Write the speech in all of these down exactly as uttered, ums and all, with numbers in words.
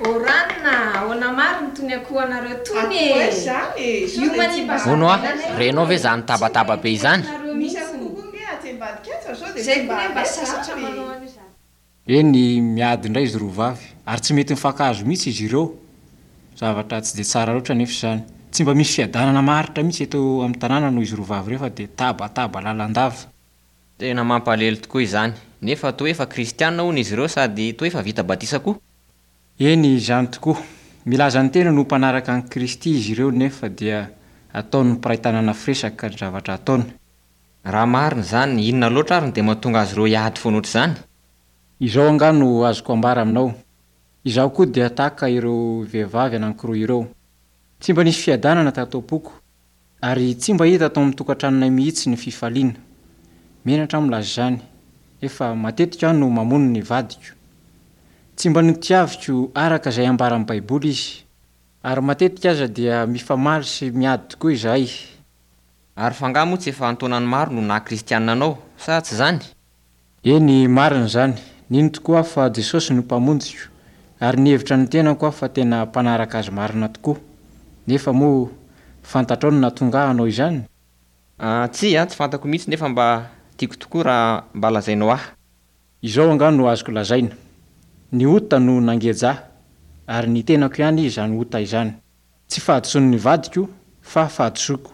Oranina, ahoana marina tony akoho anareo tony e? Zany e. Io manimba Hono a, renao ve izany tabataba be izany? Misy akoho koa nge atsy ambadika atsy fa sao dia Zay tsy koa mba ne mba avy sasatra zany. manao an'io zany. Eny, miady indray izy roa vavy ary tsy mety mifankahazo mihitsy izy ireo. Zavatra tsy dia tsara loatra nefa izany. Tsy mba misy fiadanana maharitra mihitsy eto amin'ny tanàna noho izy roa vavy ireo fa dia tabataba lalandava. Tena mampalahelo tokoa izany, nefa toa efa kristianina hono izy ireo sady toa efa vita batisa koa. Eny, izany tokoa. Milaza ny tena no mpanaraka an'i Kristy izy ireo nefa dia ataon'ny mpiray tanàna firesaka ny zavatra ataony. Raha marina izany, inona loatra ary no dia mahatonga azy ireo hiady foana ohatr'izany? Izao angaha no azoko ambara aminao. Izaho koa dia tahaka ireo vehivavy anankiroa ireo. Tsy mba nisy fiadanana tato am-poko ary tsy mba hita tao amin'ny tokantranonay mihitsy ny fifaliana. Menatra aho milaza izany, efa matetika aho no mamono ny vadiko. Tsy mba notiaviko araka izay ambaran'ny Baiboly izy, ary matetika aza dia mifamaly sy miady tokoa izahay. Ary fa angaha moa tsy efa an-taonany maro no naha kristianina anao, sa tsy izany? Eny, marina izany. Nino tokoa aho fa Jesosy no mpamonjiko, ary nihevitra ny tenako aho fa tena mpanaraka azy marina tokoa. Nefa moa fantatrao no nahatonga ahy hanao izany? Ah, tsia, tsy fantako mihitsy nefa mba tiako tokoa raha mba lazainao ahy. Izao angaha no azoko lazaina. Ny ota no nangeja ahy, ary ny tenako ihany izany ota izany. Tsy fahadisoan'ny vadiko fa fahadisoako.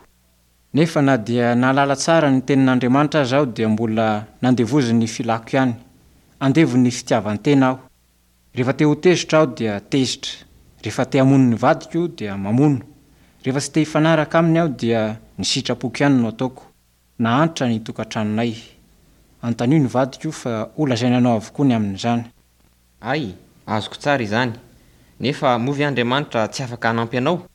Nefa na dia nahalala tsara ny tenin'Andriamanitra aza aho dia mbola nandevozin'ny filako ihany. Andevon'ny fitiavan-tena aho. Rehefa te ho tezitra aho dia tezitra. Rehefa te hamono ny vadiko dia mamono. Rehefa tsy te hifanaraka aminy aho dia ny sitrapoko ihany no ataoko. Nahantra ny tokantranonay. Anontanio ny vadiko fa ho lazaina anao avokoa ny amin'izany. Ay, azoko tsara izany. Nefa moa ve Andriamanitra tsy afaka hanampy anao?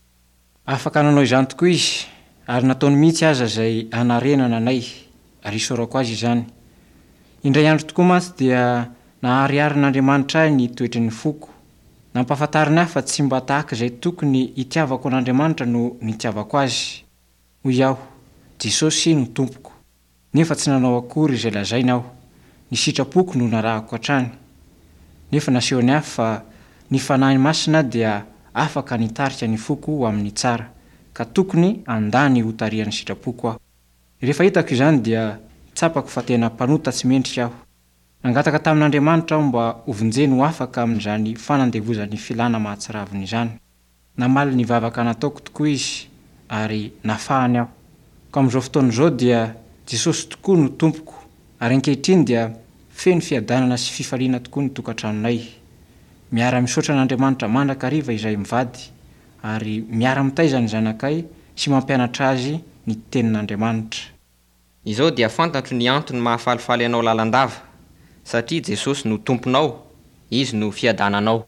Afaka nanao izany tokoa izy, ary nataony mihitsy aza izay hanarenana anay, ary isaorako azy izany. Indray andro tokoa mantsy dia nahariharin'Andriamanitra ahy ny toetry ny foko. Nampahafantariny ahy fa tsy mba tahaka izay tokony hitiavako an'Andriamanitra no nitiavako azy. Hoy aho, Jesosy no tompoko. Nefa tsy nanao akory izay lazaina aho. Ny sitrapoko no narahako hatrany. Nefa nasehony ahy fa ny Fanahy Masina dia afaka nitarika ny foko ho amin'ny tsara, ka tokony handà ny hotarihan'ny sitrapoko aho. Rehefa hitako izany dia tsapako fa tena mpanota tsy mendrika aho. Nangataka tamin'Andriamanitra aho mba hovonjeny ho afaka amin'izany fanandevozan'ny filana mahatsiravina izany. Namaly ny vavaka nataoko tokoa izy ary nafahany aho. Ka amin'izao fotoana izao dia Jesosy tokoa no tompoko, ary ankehitriny dia feno fiadanana sy fifaliana tokoa ny tokantranonay. Miara-misaotra an'Andriamanitra mandrakariva izahay mivady, ary miara-mitaiza ny zanakay sy mampianatra azy ny tenin'Andriamanitra. Izao dia fantatro ny antony mahafalifaly anao lalandava, satria Jesosy no tomponao, izy no fiadananao.